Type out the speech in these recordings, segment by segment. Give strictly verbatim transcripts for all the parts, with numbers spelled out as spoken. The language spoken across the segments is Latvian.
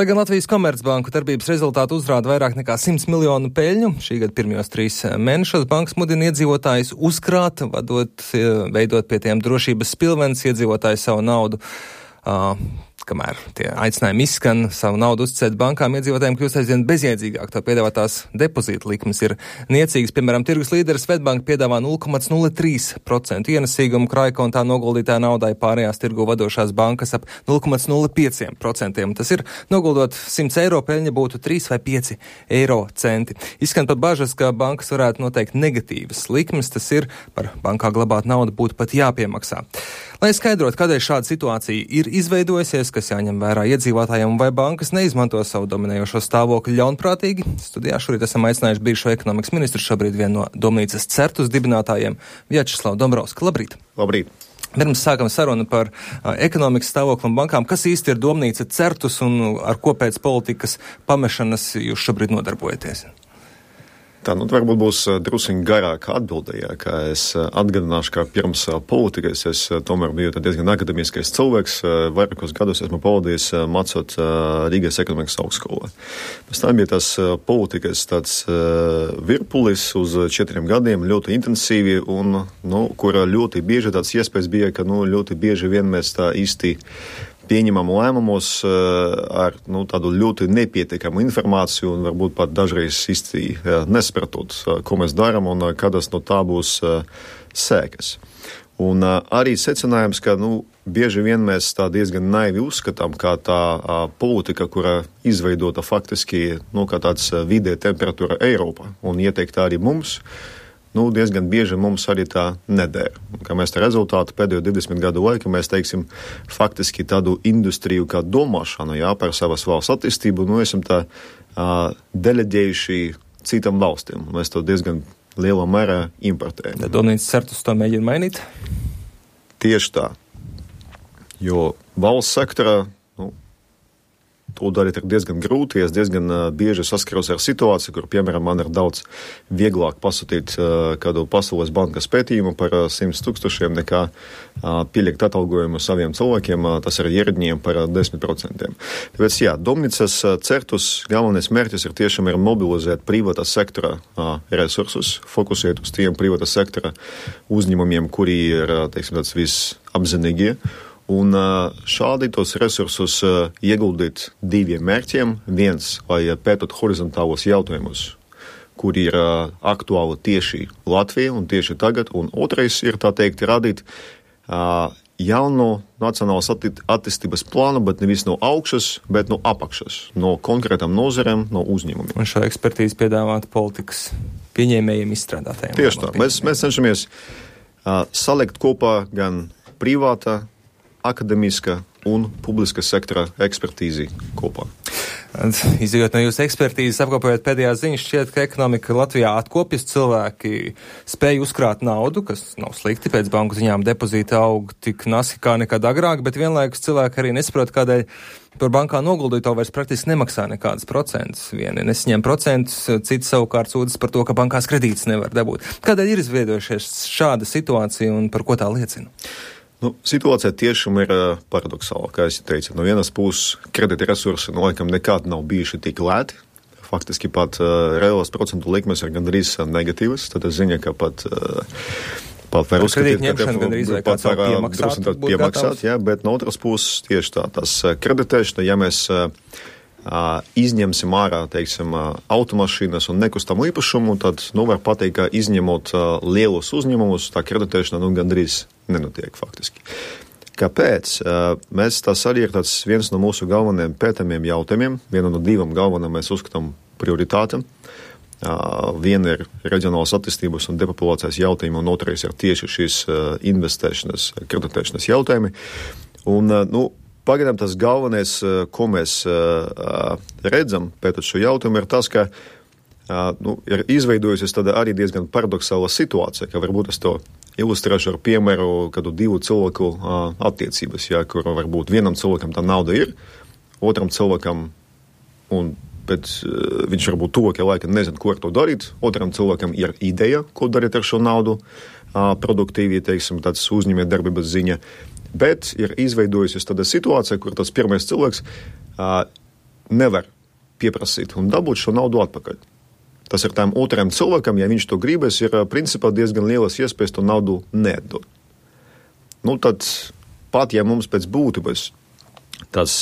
Lai gan Latvijas Komercbanku darbības rezultāti uzrāda vairāk nekā simts miljonu peļņu, šī gada pirmajos trīs mēnešos bankas mudina iedzīvotājus uzkrāt, vadot, veidot pie tiem drošības spilvenes, iedzīvotāji savu naudu. Uh, kamēr tie aicinājumi izskan savu naudu uzticēt bankām, iedzīvotājiem kļūst aizvien bezjēdzīgāk. To piedāvātās depozīta likmes ir niecīgas. Piemēram, tirgus līderis Svetbank piedāvā nulle komats nulle trīs procenti ienesīgumu krājkontā noguldītāja naudai, pārējās tirgu vadošās bankas ap nulle komats nulle pieci procenti. Tas ir, noguldot simts eiro, peļņa būtu trīs vai pieci eiro centi. Izskan pat bažas, ka bankas varētu noteikt negatīvas likmes, tas ir, par bankā glabāt naudu būtu pat jāpiemaksā. Lai skaidrotu, kādēļ šāda situācija ir izveidojusies, kas jāņem vērā iedzīvotājiem, vai bankas neizmanto savu dominējošo stāvokli ļaunprātīgi, studijā šorīt esam aicinājuši bijušo ekonomikas ministru, šobrīd vienu no Domnīcas Certus dibinātājiem, Vjačeslavu Dombrovski. Labrīt! Labrīt! Pirms sākam sarunu par uh, ekonomikas stāvokli un bankām. Kas īsti ir Domnīca Certus un ar ko pēc politikas pamešanas jūs šobrīd nodarbojaties? Tā, nu, varbūt būs drusiņi garāka atbildējā, kā es atgādināšu, ka pirms politikas es tomēr biju diezgan akademiskais cilvēks. Vairākos gados esmu pavadījis mācot Rīgas ekonomikas augstskolā. Pēc tam bija tas politikas tāds virpulis uz četriem gadiem, ļoti intensīvi, un, nu, kur ļoti bieži tāds iespējas bija, ka, nu, ļoti bieži vien mēs tā īsti pieņemam lēmumus ar nu, tādu ļoti nepietiekamu informāciju un varbūt pat dažreiz īsti nesapratot, ko mēs darām un kādas no tā būs sēkas. Un arī secinājums, ka nu, bieži vien mēs tā diezgan naivi uzskatām, kā tā politika, kura izveidota faktiski nu, kā tāds vidē temperatūra Eiropā un ieteiktā arī mums, nu, diezgan bieži mums arī tā nedēļ. Kā mēs tā rezultātu pēdējo divdesmit gadu laiku, mēs teiksim faktiski tādu industriju kā domāšanu, jā, par savas valsts attīstību, nu, esam tā uh, deleģējuši citam valstīm. Mēs to diezgan lielā mērā importējam. Domnīcas Certus to mēģina mainīt? Tieši tā. Jo valsts sektorā, nu, to darīt ir diezgan grūti. Es diezgan uh, bieži saskaros ar situāciju, kur, piemēram, man ir daudz vieglāk pasūtīt uh, kādu Pasaules bankas pētījumu par uh, simts tūkstošiem nekā uh, pielikt atalgojumu saviem cilvēkiem, uh, tas ir ierēdņiem par uh, desmit procentiem. Tāpēc, jā, Domnīcas uh, Certus galvenais mērķis ir tiešām ir mobilizēt privātā sektora uh, resursus, fokusēt uz tiem privātā sektora uzņēmumiem, kuri ir, uh, teiksim, tāds visapzinīgie. Un šādi tos resursus ieguldīt diviem mērķiem. Viens, lai pētot horizontālos jautājumus, kuri ir aktuāli tieši Latvijai un tieši tagad. Un otrais ir, tā teikt, radīt jaunu nacionālas attīstības plānu, bet nevis no augšas, bet no apakšas, no konkrētām nozarēm, no uzņēmumiem. Un šo ekspertīzi piedāvāt politikas pieņēmējiem, izstrādātājiem. Tieši tā. Mēs, mēs cenšamies uh, salikt kopā gan privātā, akademiska un publiska sektora ekspertīzi kopā. Izjūt no jūsu ekspertīzes, apkopējot pēdējās ziņas, šķiet, ka ekonomika Latvijā atkopjas, cilvēki spēj uzkrāt naudu, kas nav slikti, pēc banku ziņām depozīta aug tik nasi kā nekad agrāk, bet vienlaikus cilvēki arī nesaprot, kādēļ par bankā noguldīto vairs praktiski nemaksā nekādas procentus. Vieni nesaņem procentus, citi savukārt sūdzas par to, ka bankās kredītus nevar dabūt. Kādēļ ir izveidojušies šāda situācija un par ko tā liecina? Nu, situācija tiešām ir uh, paradoxāla, kā es teicu. No vienas puses, kredīta resursi no laikam nekad nav bijuši tik lēti. Faktiski pat uh, reālās procentu likmes ir gandrīz negatīvas. Tad es ziņu, ka pat, uh, pat var uzskatīt, ka te pat var drusku tad piemaksāt, jā, bet no otras puses tieši tā, tas kreditēšana, ja mēs uh, uh, izņemsim ārā, teiksim, uh, automašīnas un nekustamo īpašumu, tad, nu, var pateikt, ka izņemot uh, lielus uzņēmumus, tā kreditēšana, nu, gandrīz nenotiek faktiski. Kāpēc? Mēs tas arī ir tāds viens no mūsu galvenajiem pētāmiem jautājumiem. Viena no divām galvenām mēs uzskatām prioritātēm. Viena ir reģionālas attīstības un depopulācijas jautājumi, un otrais ir tieši šīs investēšanas, kreditēšanas jautājumi. Un, nu, pagaidām tas galvenais, ko mēs redzam pētot šo jautājumu, ir tas, ka nu, ir izveidojusies tāda arī diezgan paradoxāla situācija, ka varbūt es to ilustrēšu ar piemēru kādu divu cilvēku uh, attiecības, jā, kur varbūt vienam cilvēkam tā nauda ir, otram cilvēkam, un pēc, uh, viņš varbūt tuvākajā laikā nezina, ko ar to darīt, otram cilvēkam ir ideja, ko darīt ar šo naudu, uh, produktīvi, teiksim, tāds uzņēmē darbības ziņa, bet ir izveidojusies tāda situācija, kur tas pirmais cilvēks uh, nevar pieprasīt un dabūt šo naudu atpakaļ. Tas ir tām otrajam cilvēkam, ja viņš to gribēs, ir principā diezgan lielas iespējas to naudu neatdot. Nu, tad pat, ja mums pēc būtības tas,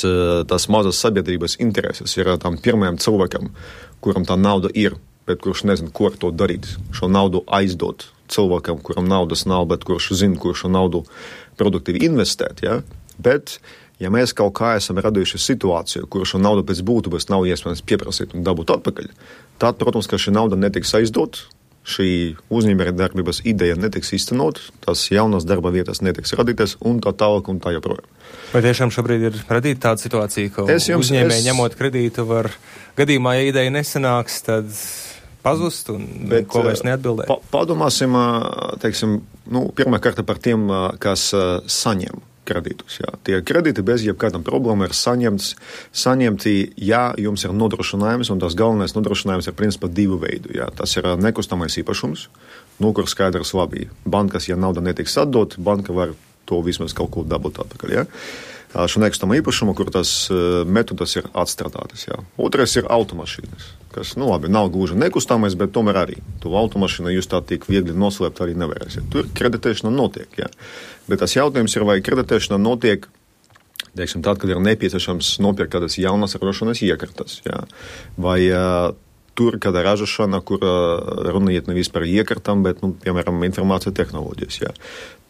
tas mazas sabiedrības intereses ir tam pirmajam cilvēkam, kuram tā nauda ir, bet kurš nezin, ko ar to darīt, šo naudu aizdot cilvēkam, kuram naudas nav, bet kurš zina, kur šo naudu produktīvi investēt, ja? Bet, ja mēs kaut kā esam radījuši situāciju, kur šo naudu pēc būtības nav iespējams pieprasīt un dabūt atpakaļ, tad, protams, ka šī nauda netiks aizdot, šī uzņēmējdarbības ideja netiks īstenot, tās jaunas darba vietas netiks radītas un tā tālāk un tā joprojām. Vai tiešām šobrīd ir radīta tāda situācija, ka jums, uzņēmēji es... ņemot kredītu var gadījumā, ja ideja nesanāks, tad pazust un Bet, ko vairs neatbildē? Pa, padomāsim, teiksim, nu, pirmā kārta par tiem, kas saņem kredītus. Jā. Tie kredīti bez jebkādām problēmām ir saņemts, saņemti, ja jums ir nodrošinājums, un tas galvenais nodrošinājums ir principā divu veidu. Jā. Tas ir nekustamais īpašums, nu, kur skaidrs labi. Bankas, ja nauda netiks atdot, banka var to vismaz kaut ko dabūt atpakaļ. Jā. Šo nekustamā īpašumu, kur tas metodas ir atstrādātas. Jā. Otrais ir automašīnas, kas, nu labi, nav gluži nekustamais, bet tomēr arī. To automašīnu jūs tā tik viegli noslēpt arī nevarēsiet. Tur kreditēšana notiek, jā. Bet tas jautājums ir, vai kreditēšana notiek, teiksim, tad, kad ir nepieciešams nopirkt kādas jaunas ražošanas iekartas, jā. Vai uh, tur, kad ir ražošana, kur uh, runa iet nevis par iekartam, bet, nu, piemēram, informācija tehnoloģijas, jā.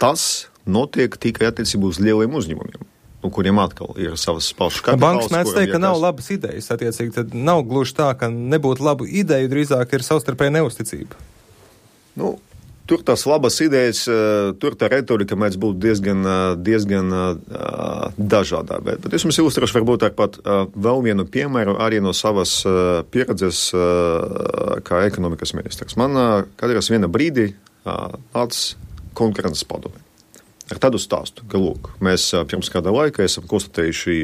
Tas notiek tikai attiecībā uz lieliem uzņēmumiem, nu, kuriem atkal ir savas pašas kapitāls. Bankas mēdz teikt, ka nav labas idejas, attiecīgi, tad nav gluži tā, ka nebūtu labu ideju, drīzāk ir savstarpēja neusticība. Nu, tur tās labas idejas, tur tā retorika mēdz būt diezgan, diezgan dažādā. Bet, bet es jums ilustrēšu varbūt ar pat vēl vienu piemēru arī no savas pieredzes kā ekonomikas ministrs. Man kādreiz viena brīdī nāca konkurences padome. Ar tādu stāstu, ka, lūk, mēs pirms kāda laika esam konstatējuši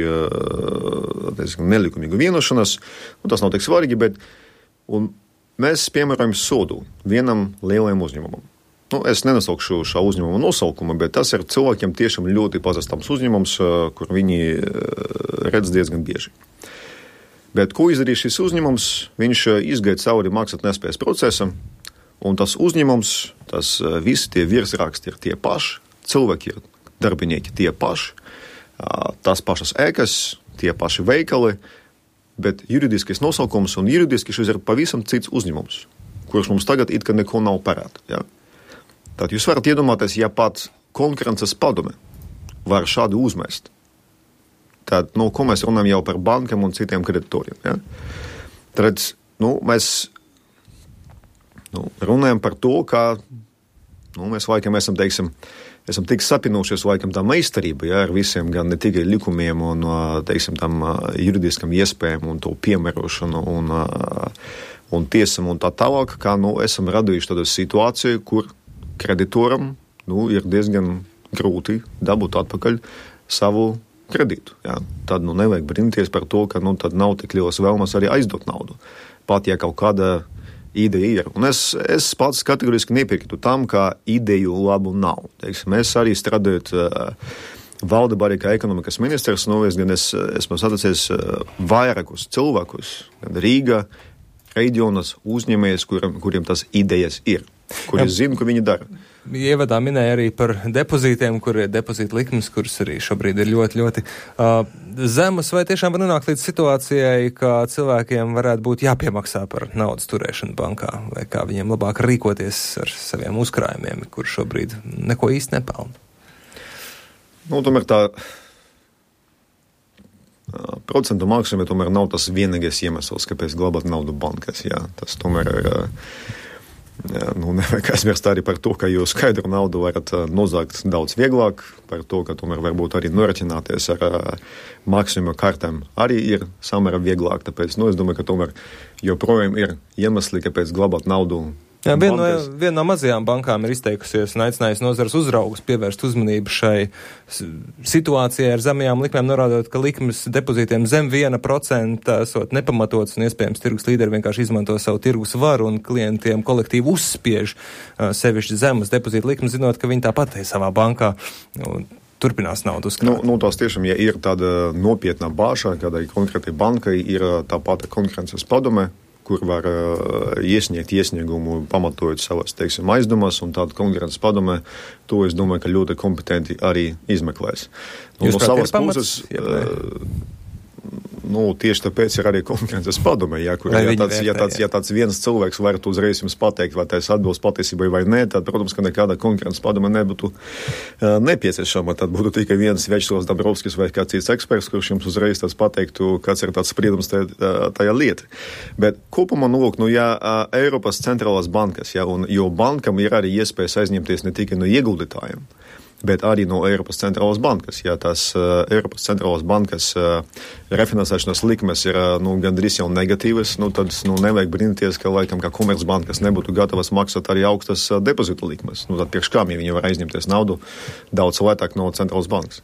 diezgan nelikumīgu vienošanos, un tas nav tik svarīgi, bet un mēs piemērojam sodu vienam lielajam uzņēmumam. Nu, es nenosaukšu šā uzņēmuma nosaukumu, bet tas ir cilvēkiem tiešām ļoti pazīstams uzņēmums, kur viņi redz diezgan bieži. Bet ko izdarīja šis uzņēmums? Viņš izgaida cauri maksātnespējas procesam, un tas uzņēmums, tas visi tie virsraksti ir tie paši, cilvēki ir darbinieki tie paši, tās pašas ēkas, tie paši veikali, bet juridiskais nosaukums un juridiski šis ir pavisam cits uzņēmums, kurš mums tagad it kā neko nav parāda. Ja? Tad jūs varat iedomāties, ja pat konkurences padome var šādu uzmest, tad, nu, ko mēs runājam jau par bankam un citiem kreditoriem. Ja? Tad, nu, mēs nu, runājam par to, ka nu, mēs laikam esam, teiksim, esam tik sapinušies laikam tā meistarība, ja, ar visiem gan ne tikai likumiem un, teiksim, tam juridiskam iespējām un to piemērošanu un, un tiesam un tā tālāk, kā, nu, esam radījuši tādu situāciju, kur kreditoram, nu, ir diezgan grūti dabūt atpakaļ savu kredītu, ja. Tad, nu, nevajag brīnīties par to, ka, nu, tad nav tik lielas vēlmas arī aizdot naudu. Pat, ja kaut kāda ideja ir. Un es, es pats kategoriski nepiekrītu tam, ka ideju labu nav. Teiksim, mēs arī strādājot uh, valdībā arī kā ekonomikas ministrs, nu, es gan es, esmu saticies uh, vairākus cilvēkus, gan Rīga, reģionas uzņēmējus, kuriem, kuriem tas idejas ir, kuri zina, ko viņi dara. Ievadā minēja arī par depozītiem, kur ir depozīta likmes, kuras arī šobrīd ir ļoti, ļoti uh, zemas. Vai tiešām var nonākt līdz situācijai, ka cilvēkiem varētu būt jāpiemaksā par naudas turēšanu bankā, vai kā viņiem labāk rīkoties ar saviem uzkrājumiem, kur šobrīd neko īsti nepelna? Nu, tomēr tā uh, procentu maksājumi tomēr nav tas vienīgais iemesls, kāpēc glabāt naudu bankas. Jā. Tas tomēr ir... Uh, Jā, nu, nevajag aizmirst arī par to, ka jūs skaidru naudu varat nozagt daudz vieglāk, par to, ka tomēr varbūt arī noraķināties ar uh, maksimuma kartēm arī ir samērā vieglāk, tāpēc, nu, es domāju, ka tomēr joprojām ir iemesli, kāpēc glabāt naudu. Jā, viena no, vien no mazajām bankām ir izteikusies un aicinājusi nozares uzraugus pievērst uzmanību šai situācijai ar zemajām likmēm, norādot, ka likmes depozītiem zem viena procenta esot nepamatots un iespējams tirgus līderi vienkārši izmanto savu tirgus varu un klientiem kolektīvi uzspiež uh, sevišķi zemes depozīta likmes, zinot, ka viņi tāpat ir savā bankā. Un turpinās naudu uzkrāt. Nu, nu, tās tiešām, ja ir tāda nopietna bāža, kādai konkrētai bankai ir tā pati konkurences padome, kur var uh, iesniegt iesniegumu, pamatojot savas, teiksim, aizdomas, un tāda konkurences padome, to es domāju, ka ļoti kompetenti arī izmeklēs. Nu, Jūs no savas pamats, puses, uh, nu, tieši tāpēc ir arī konkurences padome, ja, kur, ja tāds, ja, tāds, ja tāds viens cilvēks varētu uzreiz jums pateikt, vai tas atbilst patiesībai vai nē, tad, protams, ka nekāda konkurences padome nebūtu uh, nepieciešama. Tad būtu tikai viens Večslavs Dabrovskis vai kāds cits eksperts, kurš jums uzreiz tāds pateiktu, kāds ir tāds spriedums tajā, tajā lieta. Bet kopumā, nu, lūk, nu, ja uh, Eiropas centrālās bankas, ja, un, jo bankam ir arī iespējas aizņemties ne tikai no ieguldītājiem, bet arī no Eiropas centrālās bankas. Ja tās uh, Eiropas centrālās bankas uh, refinansēšanas likmes ir uh, nu, gandrīz jau negatīvas, nu, tad nu, nevajag brīnīties, ka laikam kā komercbankas nebūtu gatavas maksāt arī augstas uh, depozitu likmes. Nu, tad priekš kām, ja viņi var aizņemties naudu daudz lētāk no centrālās bankas.